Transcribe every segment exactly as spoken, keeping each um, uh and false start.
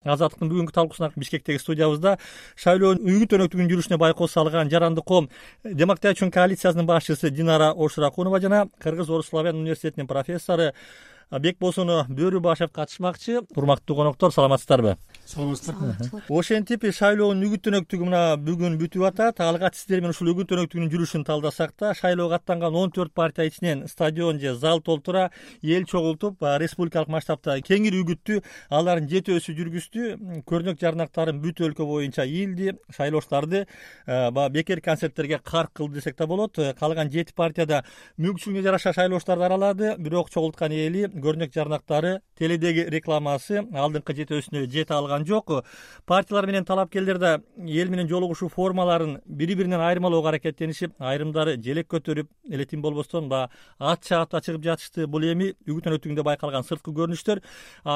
Азаттыктын бүгүнкү талкуусуна Бишкектеги студиябызда шайлоонун үйгү өнөктүгүнүн жүрүшүнө байкоо салган Жарандык коом демократия үчүн коалициясынын башчысы Динара Ошуракунова жана Кыргыз Орус славян университетинин профессору Бекбосун Бөрүбашев катышмакчы. Урматтуу коноктор, саламатсыздарбы? Саламатсыздар. Ошентип шайлоонун үгүт өнөктүгү мына бүгүн бүтүп атат. Алгач сиздер менен ушул үгүт өнөктүгүнүн жүрүшүн талдасак да, шайлоого аттанган он төрт партия ичинен стадион же зал толтура эл чогултуп, республикалык масштабта кеңири үгүттү алардын жетөөсү жүргүздү. Көрнөк жарнактарын бүт өлкө боюнча ийилди. Шайлоочуларды баягы бекер концерттерге карк кылды десек да болот. Калган жети партияда мүмкүнчүлүгүнө жараша шайлоочуларды аралады. Бирок чогулткан эли, көрнөк жарнактары, теледеги рекламасы алдыңкы жетөөсүнө жете алган жок. Партиялар менен талапкерлер да эл менен жолугушуу формаларын бири-биринен айырмалоого аракеттенишип, айрымдары желек көтөрүп, эле тим болбостон баягы ат чаапта чыгып жатышты. Бул эми үгүт өнөктүгүндө байкалган сырткы көрүнүштөр.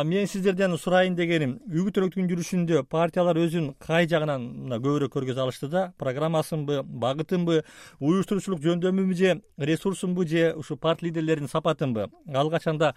Мен сиздерден сурайын дегеним, үгүт өнөктүгүнүн жүрүшүндө партиялар өзүн кай жагынан мына көбүрөөк көргөзө алышты да? Программасынбы, багытынбы, уюштуруучулук жөндөмүбү же ресурсунбу же ушу партия лидерлеринин сапатынбы? Ал качанда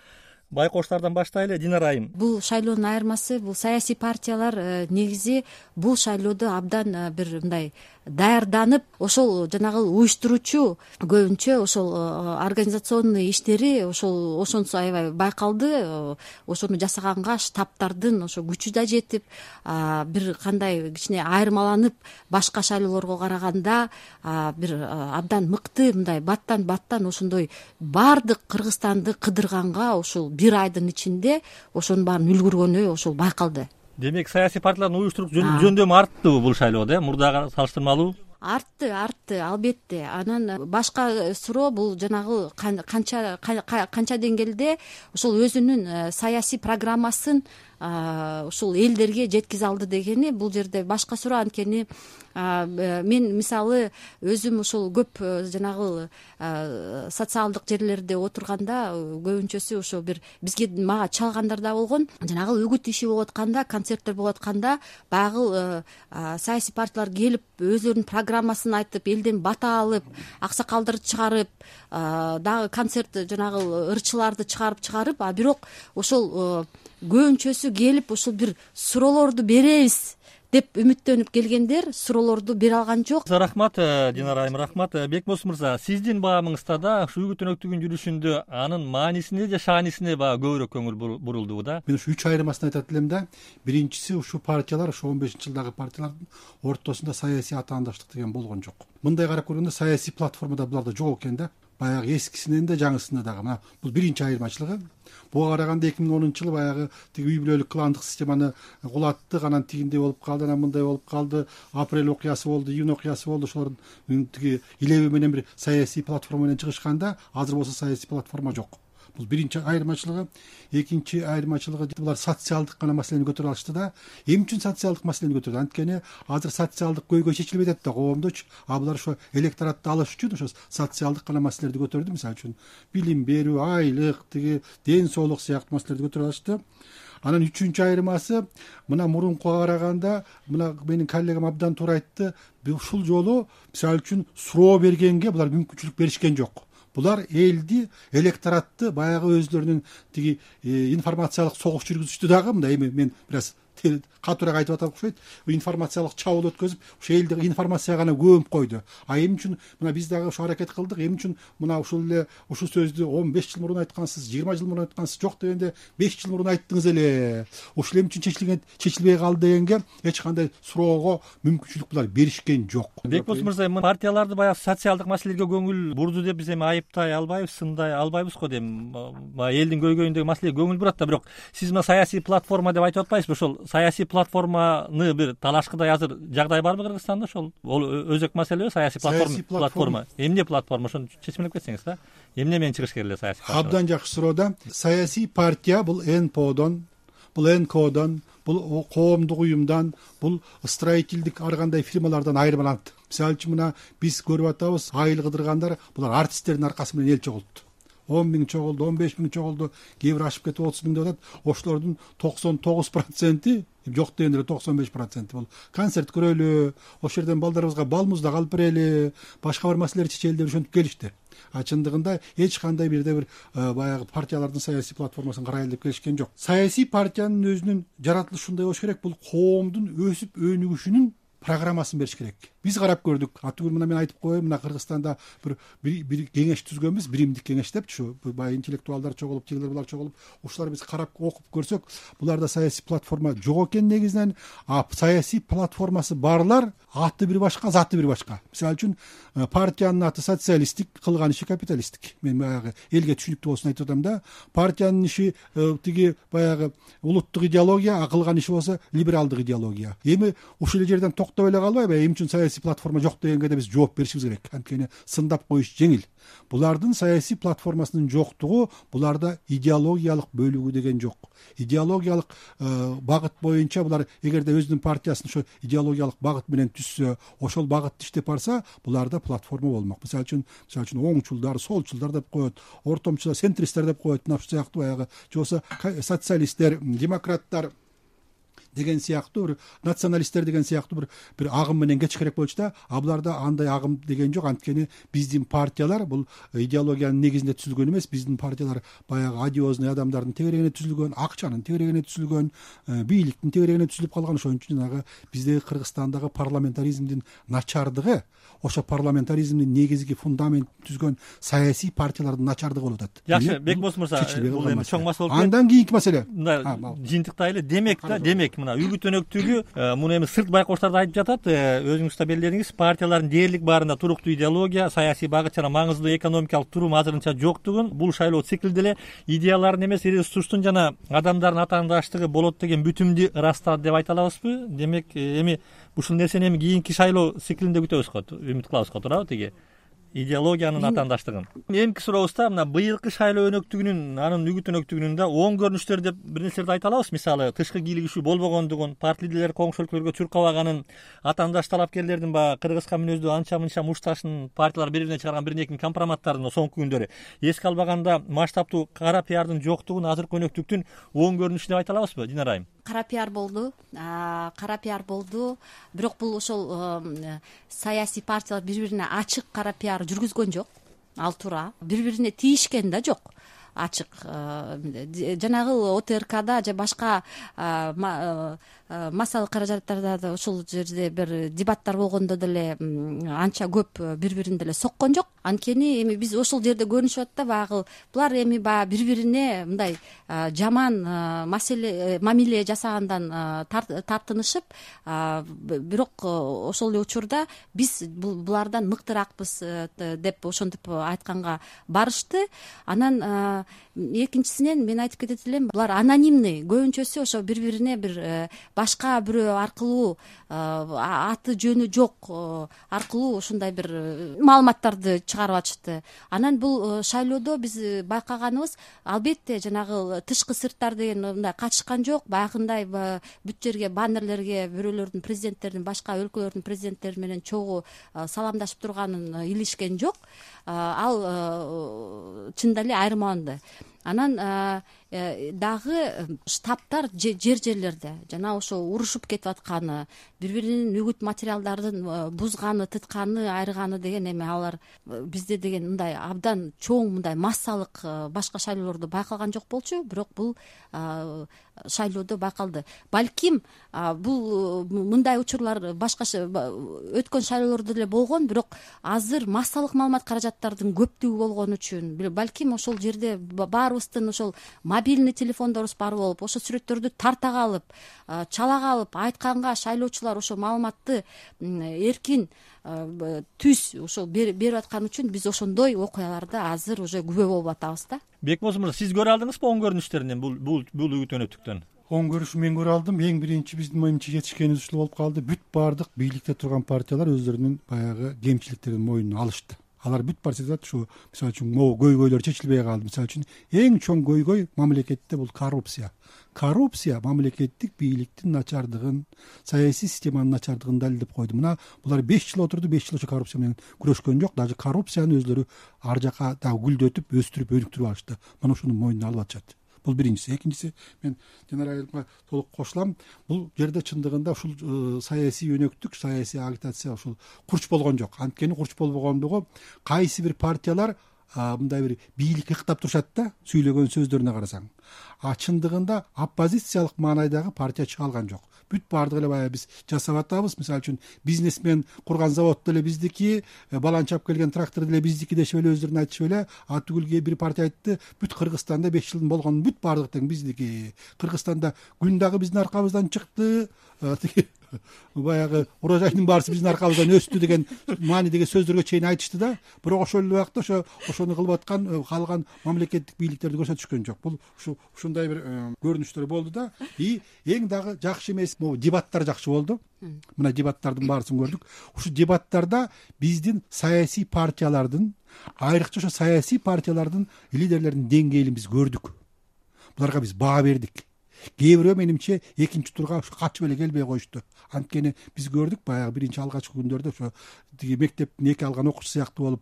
байкоочулардан баштайлы. Динара айым. Бул шайлоонун айырмасы, бул саясий партиялар негизи бул шайлоодо абдан бир мындай даярданып, ошол жанагы уюштуруучу көбүнчө ошол организационный иштери ошол ошонусу аябай байкалды. Ошону жасаганга штабтардын ошо күчү да жетип, бир кандай кичине айырмаланып, башка шайлоолорго караганда бир абдан мыкты мындай баттан баттан ошондой баардык Кыргызстанды кыдырганга ошол бир айдын ичинде ошонун баарын үлгүргөнү ошол байкалды. Демек саясий партиялардын уюштурук жөндөмү артты бул шайлоодо, мурдага салыштырмалуу? Артты, артты, албетте. Анан башка суроо бул жанагы канча канча деңгээлде ошол өзүнүн саясий программасын ушул элдерге жеткизе алды дегени, бул жерде башка суроо. Анткени мен мисалы өзүм ушул көп жанагы социалдык жерлерде отурганда көбүнчөсү ошо бир бизге мага чалгандар да болгон. Жанагы үгүт иши болуп атканда, концерттер болуп атканда баягы саясий партиялар келип өзлөрүнүн программасын айтып, элден бата алып, аксакалдарды чыгарып, дагы концерт жанагы ырчыларды чыгарып чыгарып, а бирок ошол көбүнчөсү келип ушул бир суроолорду беребиз деп үмүттөнүп келгендер суроолорду бере алган жок. Рахмат Динара айым, рахмат. Бекбос мырза, сиздин баамыңызда да ушу үгүт өнөктүгүнүн жүрүшүндө анын маанисине же шаанисине баягы көбүрөөк көңүл бурулдубу да? Мен ушу үч айырмасын айтат элем да. Биринчиси, ушул партиялар, ошо он бешинчи жылдагы партиялардын ортосунда саясий атаандаштык деген болгон жок. Мындай карап көргөндө саясий платформада буларда жок экен да. Баягы эскисинен да жаңысына дагы. Мына бул биринчи айырмачылыгы. Буга караганда эки миң онунчу жылы баягы тиги үй бүлөлүк кландык системаны кулаттык, анан тигиндей болуп калды, анан мындай болуп калды, апрель окуясы болду, июнь окуясы болду. Ошолордун тиги илеби менен бир саясий платформа менен чыгышканда, азыр болсо саясий платформа жок. Бул биринчи айырмачылыгы. Экинчи айырмачылыгы, булар социалдык гана маселени көтөрө алышты да. Эмне үчүн социалдык маселени көтөрдү? Анткени азыр социалдык көйгөй чечилбей атат да коомдочу. А булар ошо электоратты алыш үчүн ошо социалдык гана маселелерди көтөрдү. Мисалы үчүн билим берүү, айлык, тиги ден соолук сыяктуу маселелерди көтөрө алышты. Анан үчүнчү айырмасы, мына мурункуга караганда, мына менин коллегам абдан туура айтты, ушул жолу мисалы үчүн суроо бергенге булар мүмкүнчүлүк беришкен жок. Булар элди, электоратты баягы өзлөрүнүн тиги информациялык согуш жүргүзүштү дагы. Мындай эми мен бир аз катуураак айтып атам окшойт. Информациялык чабуул өткөзүп, ошо элди информацияга гана көмүп койду. А эмне үчүн мына биз дагы ошо аракет кылдык. Эмне үчүн мына ушул эле ушул сөздү он беш жыл мурун айткансыз, жыйырма жыл мурун айткансыз, жок дегенде беш жыл мурун айттыңыз эле. Ошол эмне үчүн чечилген, чечилбей калды дегенге эч кандай суроого мүмкүнчүлүк булар беришкен жок. Бекбос мырза, партияларды баягы социалдык маселелерге көңүл бурду деп биз эми айыптай албайбыз, сындай албайбыз го дейм. Баягы элдин көйгөйүндөгү маселеге көңүл бурат да, бирок сиз мына саясий платформа деп айтып атпайсызбы? Ошол саясий платформаны бир талашкыдай азыр жагдай барбы Кыргызстанда? Ошол ол өзөк маселеби саясий платформа? Платформа эмне платформа? Ошону чечмелеп кетсеңиз да. Эмне менен чыгыш керек эле саясий партия? Абдан жакшы суроо да. Саясий партия бул эн пэ одон, бул эн ка одон, бул коомдук уюмдан, бул строительдик ар кандай фирмалардан айырмаланат. Мисалы үчүн мына биз көрүп атабыз, айыл кыдыргандар булар артисттердин аркасы менен эл чогултtu. он миң чогулду, он беш миң чогулду, кээ бир ашып кетип отуз миң деп атат. Ошолордун токсон тогуз проценти, жок дегенде токсон беш проценти бул концерт көрөлү, ошол жерден балдарыбызга бал муздак алып берели, башка бир маселелерди чечели деп ошентип келишти. а чындыгында эч кандай бирде бир баягы партиялардын саясий платформасын карайлы деп келишкен жок. Саясий партиянын өзүнүн жаратылышындай болуш керек. Бул коомдун өсүп өнүгүшүнүн программасын бериш керек. Биз карап көрдүк. Атүгүл мына мен айтып коеюн, мына Кыргызстанда бир бир кеңеш түзгөнбүз, биримдик кеңеш депчи. Баягы интеллектуалдар чогулуп, тигилер булар чогулуп, ушулар биз карап окуп көрсөк, буларда саясий платформа жок экен негизинен. А саясий платформасы барлар аты бир башка, заты бир башка. Мисалы үчүн партиянын аты социалисттик, кылган иши капиталисттик. Мен баягы элге түшүнүктүү болсун айтып атам да. Партиянын иши тиги баягы улуттук идеология, а кылган иши болсо либералдык идеология. Эми ушул жерден токтоп эле калбайбы? Эмне үчүн саясий платформа жок дегенге да биз жооп беришибиз керек. Анткени сындап коюш жеңил. Булардын саясий платформасынын жоктугу буларда идеологиялык бөлүгү деген жок. Идеологиялык багыт боюнча булар эгерде өзүнүн партиясын ошо идеологиялык багыт менен түзсө, ошол багытты иштеп барса, буларда платформа болмок. Мисалы үчүн, мисалы үчүн оңчулдар, солчулдар деп коет, ортомчулар, центристтер деп коет, мына ушул сыяктуу баягы же болбосо социалисттер, демократтар деген сыяктуу бир националисттер деген сыяктуу бир бир агым менен кетиш керек болчу да. А буларда андай агым деген жок. Анткени биздин партиялар бул идеологиянын негизинде түзүлгөн эмес. Биздин партиялар баягы одиозный адамдардын тегерегине түзүлгөн, акчанын тегерегине түзүлгөн, бийликтин тегерегине түзүлүп калган. Ошон үчүн жанагы биздеги Кыргызстандагы парламентаризмдин начардыгы, ошо парламентаризмдин негизги фундаментин түзгөн саясий партиялардын начардыгы болуп атат. Жакшы, Бекболсун мырза, бул эми чоң маселе болуп. Андан кийинки маселе. Мындай жыйынтыктайлы. Демек да, демек мына үгүт өнөктүгү, муну эми сырт байкоштор да айтып жатат. Өзүңүз да белгиледиңиз, партиялардын дээрлик баарында туруктуу идеология, саясий багыт жана маңыздуу экономикалык турум азырынча жоктугун, бул шайлоо циклде эле идеялардын эмес, ресурстун жана адамдардын атаандаштыгы болот деген бүтүмдү ырастады деп айта алабызбы? Демек эми ушул нерсени эми кийинки шайлоо циклинде күтөбүз го, үмүт кылабыз го, туурабы тиги идеологиянын атаандаштыгын? Эмки сурообузда мына быйылкы шайлоо өнөктүгүнүн, анын үгүт өнөктүгүнүн да оң көрүнүштөр деп бир нерселерди айта алабыз. Мисалы, тышкы кийлигишүү болбогондугун, парти лидерлер коңшу өлкөлөргө чуркабаганын, атаандаш талапкерлердин баягы кыргызка мүнөздүү анча мынча мушташын партиялар бири-бирине чыгарган бир эки компроматтарын соңку күндөрү эске албаганда маштаптуу кара пиардын жоктугун азыркы өнөктүктүн оң көрүнүшү деп айта алабызбы, Динара айым? Кара пиар болду, кара пиар болду. Бирок бул ошол саясий партиялар бири бирине ачык кара пиар жүргүзгөн жок. Ал туура. Бири бирине тийишкен да жок. Ачык жанагы О Т Р Кда же башка массалык каражаттарда да ушул жерде бир дебаттар болгондо деле анча көп бири бирине деле соккон жок. Анткени эми биз ошол жерде көрүнүшүп атат да, баягы булар эми баягы бири бирине мындай жаман маселе мамиле жасагандан тартынышып, бирок ошол эле учурда биз булардан мыктыракпыз деп ошентип айтканга барышты. Анан экинчисинен мен айтып кетет элем, булар анонимный, көбүнчөсү ошо бири бирине бир башка бирөө аркылуу, аты жөнү жок аркылуу ушундай бир маалыматтарды чыгарып атышты. Анан бул шайлоодо биз байкаганыбыз, албетте жанагы тышкы сырттар деген мындай катышкан жок. Баягындай бүт жерге баннерлерге бирөөлөрдүн, президенттердин, башка өлкөлөрдүн президенттери менен чогуу саламдашып турганын илишкен жок. Ал чындап эле айырмаланды. Анан дагы штабтар жер жерлерде жана ошо урушуп кетип атканы, бири биринин үгүт материалдарын бузганы, тытканы, айырганы деген эми алар бизде деген мындай абдан чоң, мындай массалык башка шайлоолордо байкалган жок болчу, бирок бул шайлоодо байкалды. Балким бул мындай учурлар башка өткөн шайлоолордо деле болгон, бирок азыр массалык маалымат каражаттардын көптүгү болгон үчүн балким ошол жерде баарыбыздын ошол мобильный телефондорубуз бар болуп, ошо сүрөттөрдү тарта калып, чала калып, айтканга шайлоочулар ошо маалыматты эркин түз ошол берип аткан үчүн биз ошондой окуяларда азыр уже күбө болуп атабыз да. Бекболсун мырза, сиз көрө алдыңызбы оң көрүнүштөрүн бул бул бул үгүт өнөктүктөн? Оң көрүшү мен көрө алдым. Эң биринчи биздин моюнча жетишкенибиз ушул болуп калды. Бүт баардык бийликте турган партиялар өздөрүнүн баягы кемчиликтерин мойнуна алышты. Алар бүт партиялар ушу, мисалы үчүн, могу көйгөйлөр чечилбей калды. Мисалы үчүн, эң чоң көйгөй мамлекетте бул коррупция. Коррупция мамлекеттик бийликтин начардыгын, саясий системанын начардыгын далилдеп койду. Мына булар беш жыл отурду, беш жыл ошо коррупция менен күрөшкөн жок. Даже коррупцияны өзлөрү ар жака дагы гүлдөтүп, өстүрүп, өнүктүрүп алышты. Мына ушуну мойнуна алып атышат. Бул биринчиси. Экинчиси, мен Динара айымга толук кошулам. Бул жерде чындыгында ушул саясий өнөктүк, саясий агитация ушул курч болгон жок. Анткени курч болбогондугу кайсы бир партиялар мындай бир бийлик ыктап турушат да сүйлөгөн сөздөрүнө карасаң. А чындыгында оппозициялык маанайдагы партия чыга алган жок. Бүт баардыгы эле баягы биз жасап атабыз. Мисалы үчүн бизнесмен курган завод деле биздики, баланчап келген трактор деле биздики дешип эле өздөрүн айтышып эле. А түгүлгө бир партия айтты, бүт Кыргызстанда беш жылдын болгонун бүт баардыгы тең биздики. Кыргызстанда күн дагы биздин аркабыздан чыкты. Баягы урожайдын баарысы биздин аркабыздан өстү деген маанидеги сөздөргө чейин айтышты да. Бирок ошол эле убакта ошо ошону кылып аткан калган мамлекеттик бийликтерди көрсөтүшкөн жок. Бул ушу ушундай бир көрүнүштөр болду да. И эң дагы жакшы эмес могу дебаттар жакшы болду. Мына дебаттардын баарысын көрдүк. Ушу дебаттарда биздин саясий партиялардын, айрыкча ошо саясий партиялардын лидерлеринин деңгээлин биз көрдүк. Буларга биз баа бердик. Кээ бирөө менимче экинчи турга качып эле келбей коюшту. Анткени биз көрдүк баягы биринчи алгачкы күндөрдө ошо тиги мектептин эки алган окуучусу сыяктуу болуп,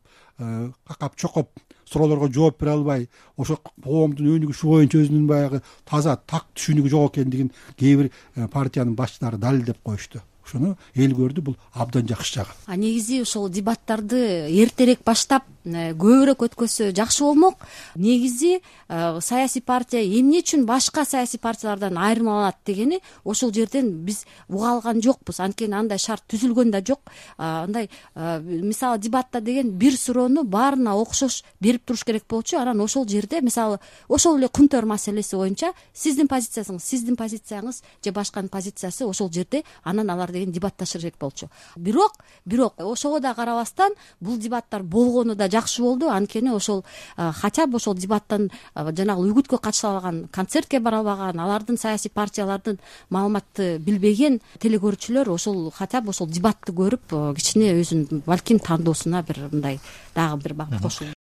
какап чокоп, суроолорго жооп бере албай, ошо коомдун өнүгүшү боюнча өзүнүн баягы таза так түшүнүгү жок экендигин кээ бир партиянын башчылары далилдеп коюшту. Ошону эл көрдү, бул абдан жакшы жагы. А негизи ошол дебаттарды эртерээк баштап көбүрөөк өткөзсө жакшы болмок. Негизи саясий партия эмне үчүн башка саясий партиялардан айырмаланат дегени ошол жерден биз уга алган жокпуз. Анткени андай шарт түзүлгөн да жок. Андай мисалы дебатта деген бир суроону баарына окшош берип туруш керек болчу. Анан ошол жерде мисалы ошол эле кумтөр маселеси боюнча сиздин позицияңыз, сиздин позицияңыз же башканын позициясы ошол жерде анан алар деген дебатташыр керек болчу. Бирок, бирок ошого да карабастан бул дебаттар болгону да жакшы болду. Анткени ошол хотя бы ошол дебаттан жанагы үгүткө катыша албаган, концертке бара албаган, алардын саясий партиялардын маалыматты билбеген телекөрүүчүлөр ошол хотя бы ошол дебатты көрүп кичине өзүнүн балким тандоосуна бир мындай дагы бир багыт кошулду.